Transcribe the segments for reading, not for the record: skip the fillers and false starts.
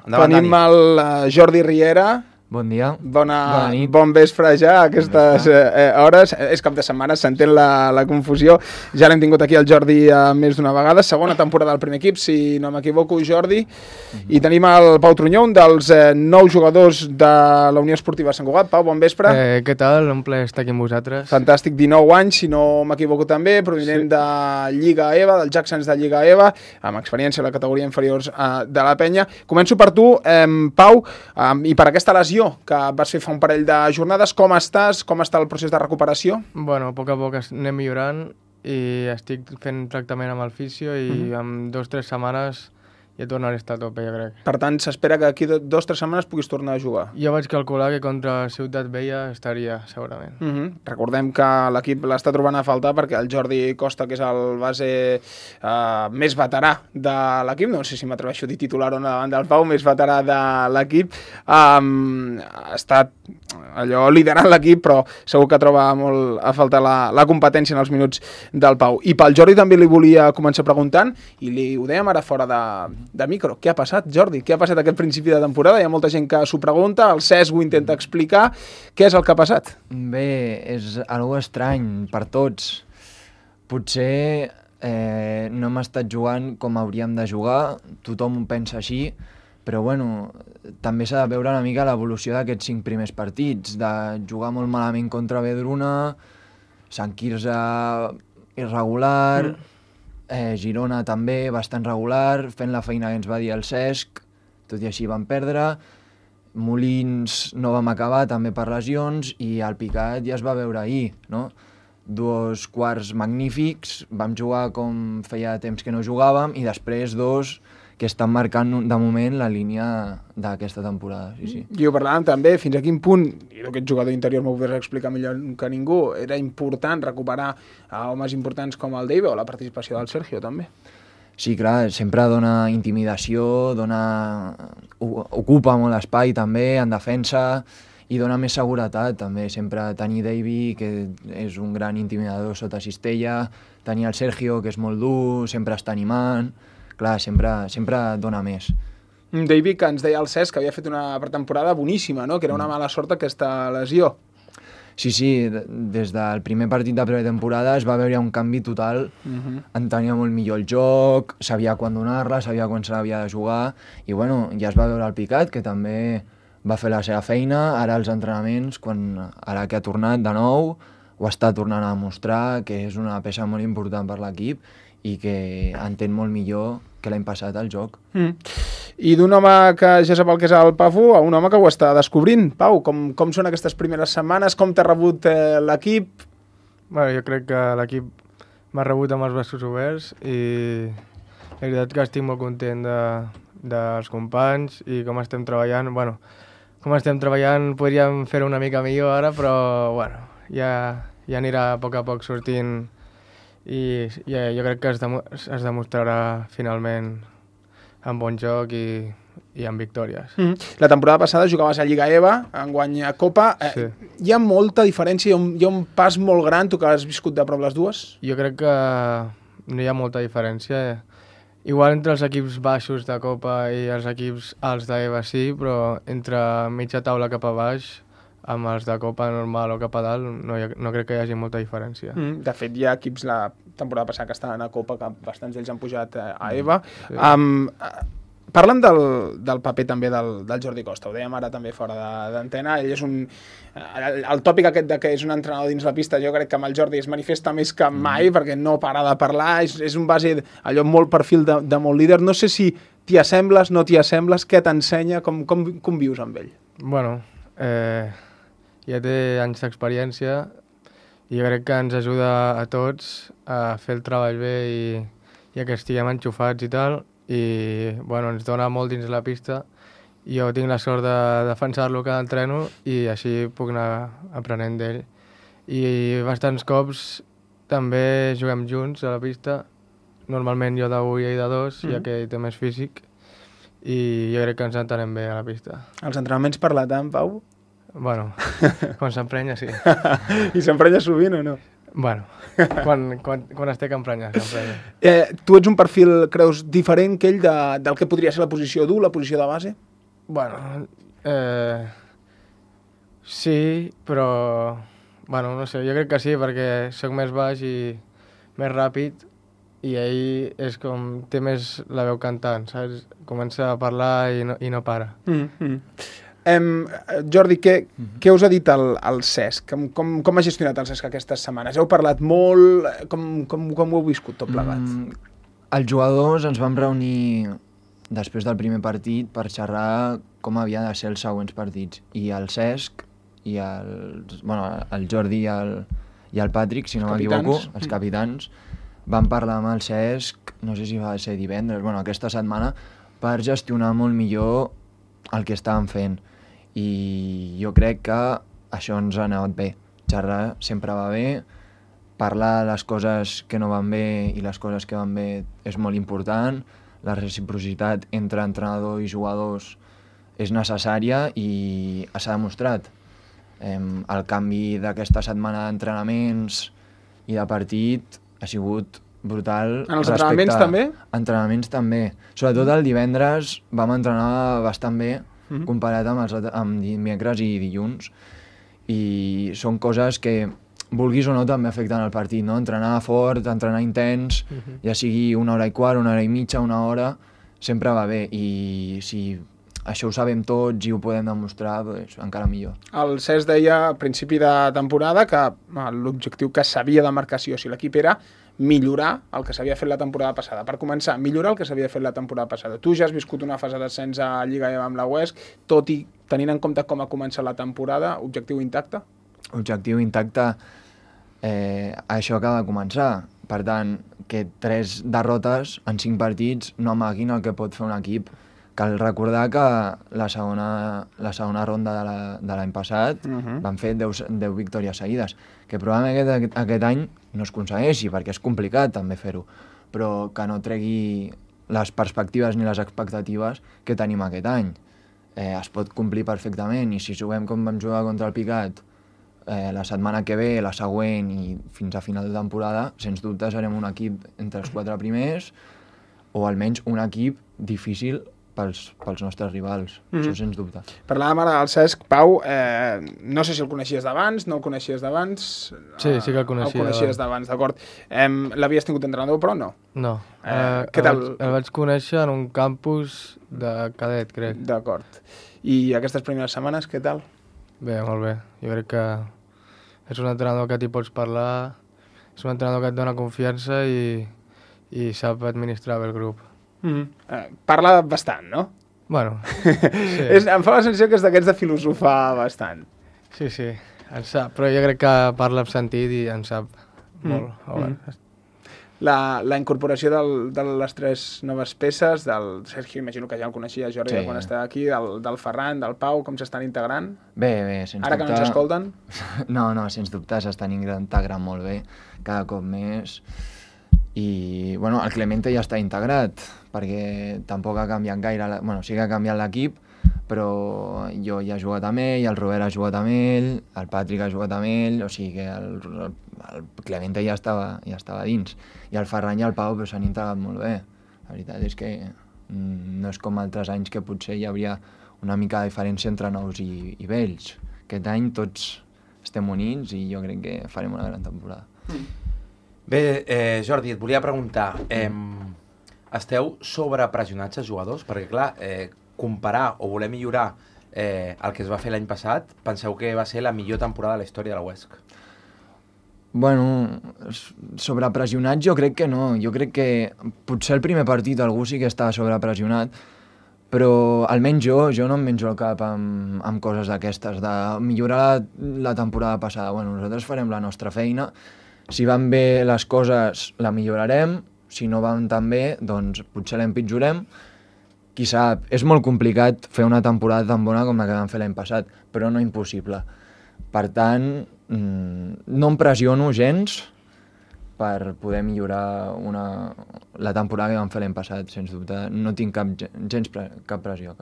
Endavant, Tenim Dani. el Jordi Riera. Bon dia. Bona nit. Bon vespre ja, a aquestes hores. És cap de setmana, s'entén la confusió. Ja l'hem tingut aquí el Jordi més d'una vegada. Segona temporada del primer equip, si no m'equivoco, Jordi. I tenim el Pau Trunyó, un dels 9 jugadors de la Unió Esportiva Sant Cugat. Pau, bon vespre. Què tal? Un plaer estar aquí amb vosaltres. Fantàstic, 19 anys, si no m'equivoco també, provinent de Lliga EVA, del Jacksons de Lliga EVA, amb experiència a la categoria inferiors de la penya. Començo per tu, Pau, i per aquesta lesió que vas fer fa un parell de jornades. Com estàs? Com està el procés de recuperació? Bueno, a poc anem millorant i estic fent tractament amb el fisio i en 2 o 3 setmanes ja tornaré a estar a tope, jo crec. Per tant, s'espera que d'aquí 2 o 3 setmanes puguis tornar a jugar. Jo vaig calcular que contra Ciutat Vella estaria, segurament. Recordem que l'equip l'està trobant a faltar perquè el Jordi Costa, que és el base més veterà de l'equip, no sé si m'atreveixo a dir titular o no davant del Pau, més veterà de l'equip, ha estat allò liderant l'equip, però segur que troba molt a faltar la competència en els minuts del Pau. I pel Jordi també li volia començar preguntant, i ho dèiem ara fora de micro. Què ha passat, Jordi? Què ha passat aquest principi de temporada? Hi ha molta gent que s'ho pregunta, el Cesc ho intenta explicar. Què és el que ha passat? Bé, és algo estrany per tots. Potser no hem estat jugant com hauríem de jugar, tothom ho pensa així, però bueno, també s'ha de veure una mica l'evolució d'aquests 5 primers partits, de jugar molt malament contra Vedruna, Sant Quirze irregular, Girona també bastant regular, fent la feina que ens va dir el Cesc, tot i així vam perdre, Molins no vam acabar també per lesions i el Picat ja es va veure ahir, no? 2 quarts magnífics, vam jugar com feia temps que no jugàvem i després 2 que estan marcant de moment la línia d'aquesta temporada. Sí. I ho parlàvem també, fins a quin punt, i aquest jugador interior m'ho podràs explicar millor que ningú, era important recuperar a homes importants com el Dave o la participació del Sergio també. Sí, clar, sempre dona intimidació, ocupa molt espai també en defensa i dona més seguretat també. Sempre tenir Davey, que és un gran intimidador sota cistella, tenir el Sergio, que és molt dur, sempre està animant. Clar, sempre dona més. David, que ens deia el Cesc, que havia fet una pretemporada boníssima, no? Que era una mala sort aquesta lesió. Sí, des del primer partit de pretemporada es va veure un canvi total, entenia molt millor el joc, sabia quan donar-la, sabia quan se l'havia de jugar, i bueno, ja es va veure el Picat, que també va fer la seva feina, ara els entrenaments, ara que ha tornat de nou, ho està tornant a demostrar, que és una peça molt important per l'equip, i que entén molt millor que l'any passat al joc. I d'un home que ja sap el que és el Pafu a un home que ho està descobrint. Pau, com són aquestes primeres setmanes? Com t'ha rebut l'equip? Bueno, jo crec que l'equip m'ha rebut amb els braços oberts i la veritat que estic molt content dels companys i com estem treballant. Bueno, com estem treballant podríem fer-ho una mica millor ara, però bueno, ja anirà a poc sortint i jo crec que es demostrarà finalment amb bon joc i amb victòries. La temporada passada jugaves a Lliga EVA, enguany a Copa. Sí. Hi ha molta diferència, hi ha un pas molt gran, tu que has viscut de prop les dues? Jo crec que no hi ha molta diferència. Igual entre els equips baixos de Copa i els equips alts d'EVA sí, però entre mitja taula cap a baix, amb els de Copa normal o cap a dalt, no crec que hi hagi molta diferència. De fet, hi ha equips la temporada passada que estaven a Copa, que bastants d'ells han pujat a EVA. Sí. Parla'm del paper també del Jordi Costa, ho dèiem ara també fora d'antena. Ell és el tòpic aquest de que és un entrenador dins la pista, jo crec que amb el Jordi es manifesta més que mai, perquè no para de parlar, és un base allò molt perfil de molt líder. No sé si t'hi assembles, no t'hi assembles, què t'ensenya, com vius amb ell? Bueno, ja té anys d'experiència i jo crec que ens ajuda a tots a fer el treball bé i que estiguem enxufats i tal, i bueno, ens dona molt dins la pista. Jo tinc la sort de defensar-lo cada entreno i així puc anar aprenent d'ell. I bastants cops també juguem junts a la pista, normalment jo d'1 i ell de 2, ja que ell té més físic, i jo crec que ens entenem bé a la pista. Els entrenaments per la tant, Pau? Bueno, quan s'emprenya, sí. I s'emprenya sovint o no? Bueno, quan es té que emprenyar, s'emprenya. Tu ets un perfil, creus, diferent que ell del que podria ser la posició dur, la posició de base? Bueno, sí, però... Bueno, no sé, jo crec que sí, perquè sóc més baix i més ràpid i ell és com... té més la veu cantant, saps? Comença a parlar i no para. Jordi, què us ha dit el Cesc? Com ha gestionat el Cesc aquestes setmanes? Heu parlat molt? Com ho heu viscut tot plegat? Els jugadors ens vam reunir després del primer partit per xerrar com havia de ser els següents partits. I el Cesc i el Jordi i el Patrick, si no m'equivoco, els capitans, van parlar amb el Cesc, no sé si va ser divendres, aquesta setmana, per gestionar molt millor el que estàvem fent. I jo crec que això ens ha anat bé. Xerrar sempre va bé, parlar de les coses que no van bé i les coses que van bé és molt important, la reciprocitat entre entrenador i jugadors és necessària i s'ha demostrat. El canvi d'aquesta setmana d'entrenaments i de partit ha sigut brutal. En els entrenaments també? Entrenaments també. Sobretot el divendres vam entrenar bastant bé comparat amb dimecres i dilluns. I són coses que, vulguis o no, també afecten el partit, no? Entrenar fort, entrenar intens, ja sigui 1 hora i quart, 1 hora i mitja, 1 hora, sempre va bé. I si això ho sabem tots i ho podem demostrar, doncs encara millor. El Cesc deia a principi de temporada que l'objectiu que s'havia de marcar sí o sí l'equip era millorar el que s'havia fet la temporada passada. Per començar, millorar el que s'havia fet la temporada passada. Tu ja has viscut una fase d'ascens a Lliga amb la Huesc, tot i tenint en compte com ha començat la temporada, objectiu intacte? Objectiu intacte, això acaba de començar. Per tant, que 3 derrotes en 5 partits no amaguin el que pot fer un equip. Cal recordar que la segona ronda de l'any passat van fer 10 victòries seguides, que probablement aquest any no es aconsegueixi, perquè és complicat també fer-ho, però que no tregui les perspectives ni les expectatives que tenim aquest any. Es pot complir perfectament, i si juguem com vam jugar contra el Picat la setmana que ve, la següent i fins a final de temporada, sens dubte serem un equip entre els 4 primers, o almenys un equip difícil pels nostres rivals, això sens dubte. Parlàvem ara del Cesc. Pau, no sé si el coneixies d'abans, no el coneixies d'abans? Sí que el coneixia. El coneixies d'abans, d'acord. L'havies tingut entrenador, però no? No. Què tal? El vaig conèixer en un campus de cadet, crec. D'acord. I aquestes primeres setmanes, què tal? Bé, molt bé. Jo crec que és un entrenador que t'hi pots parlar, és un entrenador que et dona confiança i sap administrar bé el grup. Parla bastant, no? Bueno, sí. Em fa la sensació que és d'aquests de filosofar bastant. Sí, en sap, però jo crec que parla amb sentit i en sap molt. La incorporació de les 3 noves peces, del Sergio, imagino que ja el coneixia, Jordi, quan estava aquí, del Ferran, del Pau, com s'estan integrant? Bé, sens dubte. Ara que no ens escolten? No, sens dubte s'estan integrant molt bé, cada cop més. I, el Clemente ja està integrat, perquè tampoc ha canviat gaire, sí que ha canviat l'equip, però jo ja he jugat amb ell, el Robert ha jugat amb ell, el Patrick ha jugat amb ell, o sigui que el Clemente ja estava dins. I el Ferran i el Pau s'han integrat molt bé. La veritat és que no és com altres anys que potser hi hauria una mica de diferència entre nous i vells. Aquest any tots estem units i jo crec que farem una gran temporada. Bé, Jordi, et volia preguntar, esteu sobrepressionats els jugadors? Perquè, clar, comparar o voler millorar el que es va fer l'any passat, penseu que va ser la millor temporada de la història de la Huesc? Sobrepressionats jo crec que no. Jo crec que potser el primer partit algú sí que estava sobrepressionat, però almenys jo no em menjo el cap amb coses d'aquestes, de millorar la temporada passada. Nosaltres farem la nostra feina. Si van bé les coses, la millorarem. Si no van tan bé, doncs potser l'empitjorem. Qui sap, és molt complicat fer una temporada tan bona com la que vam fer l'any passat, però no impossible. Per tant, no em pressiono gens per poder millorar la temporada que vam fer l'any passat, sens dubte. No tinc cap pressió.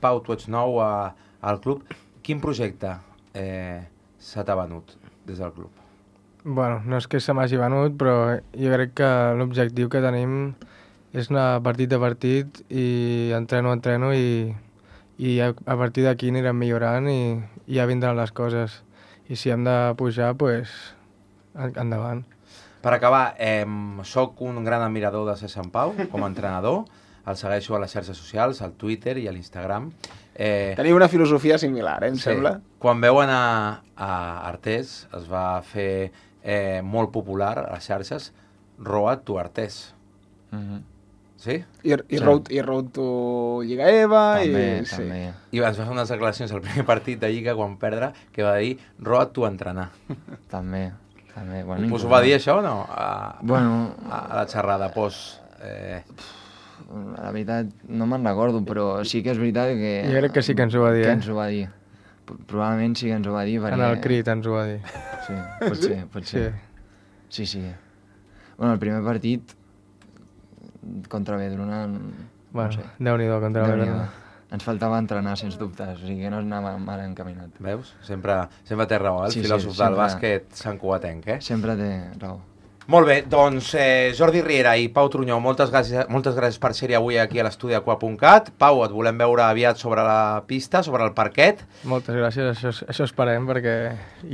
Pau, tu ets nou al club. Quin projecte se t'ha venut des del club? Bueno, no és que se m'hagi venut, però jo crec que l'objectiu que tenim és anar partit a partit i entreno i i a partir d'aquí anirem millorant i ja vindran les coses. I si hem de pujar, doncs endavant. Per acabar, soc un gran admirador de Cesc Sampau com a entrenador, el segueixo a les xarxes socials, al Twitter i a l'Instagram. Teniu una filosofia similar, em sembla? Quan veuen a Artés, es va fer molt popular a les xarxes, Road to Artés. Sí? I Road to Lliga EVA. També. I ens va fer unes declaracions al primer partit de Lliga quan perdre, que va dir Road to entrenar. També. Bueno, Us ho va dir això o no? Bueno, a la xerrada post... La veritat, no me'n recordo, però sí que és veritat que... Jo crec que sí que ens ho va dir, Que ens ho va dir. Probablement sí que ens ho va dir, perquè... En el crit ens ho va dir. Sí, pot ser. Sí. Bueno, el primer partit contra Vedruna... Bueno, no sé. Déu-n'hi-do contra Vedruna. Ens faltava entrenar, sens dubtes, o sigui que no anava mal encaminat. Veus? Sempre té raó, el Sí, filòsof del bàsquet santcugatenc, Sempre té raó. Molt bé, doncs Jordi Riera i Pau Trunyó, moltes gràcies per ser-hi avui aquí a l'estudi Aqua.cat. Pau, et volem veure aviat sobre la pista, sobre el parquet. Moltes gràcies, això esperem, perquè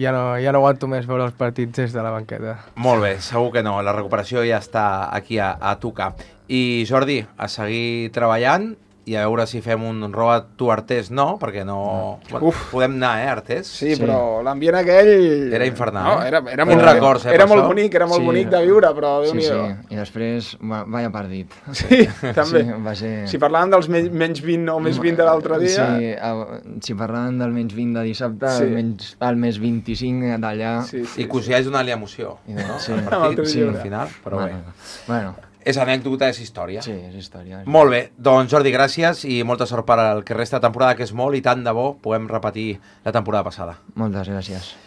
ja no aguanto més veure els partits des de la banqueta. Molt bé, segur que no, la recuperació ja està aquí a tocar. I Jordi, a seguir treballant i a veure si fem un Road to Artés, no, perquè no... Bueno, podem anar, Artés? Sí, però l'ambient aquell... Era infernal. No, era molt records, era molt bonic, bonic de viure, però Déu-n'hi-do. Sí, i després, vaya partit. Sí, també. Sí, va ser... Si parlàvem dels menys 20 o més 20 de l'altre dia... Sí, si parlàvem del menys 20 de dissabte, el més 25 d'allà... I que us hi hagi donat l'emoció, no? Sí. El partit, al final, però bé. Bueno. És anècdota, és història. Sí, és història. Molt bé, doncs Jordi, gràcies i molta sort per al que resta de temporada, que és molt i tant de bo puguem repetir la temporada passada. Moltes gràcies.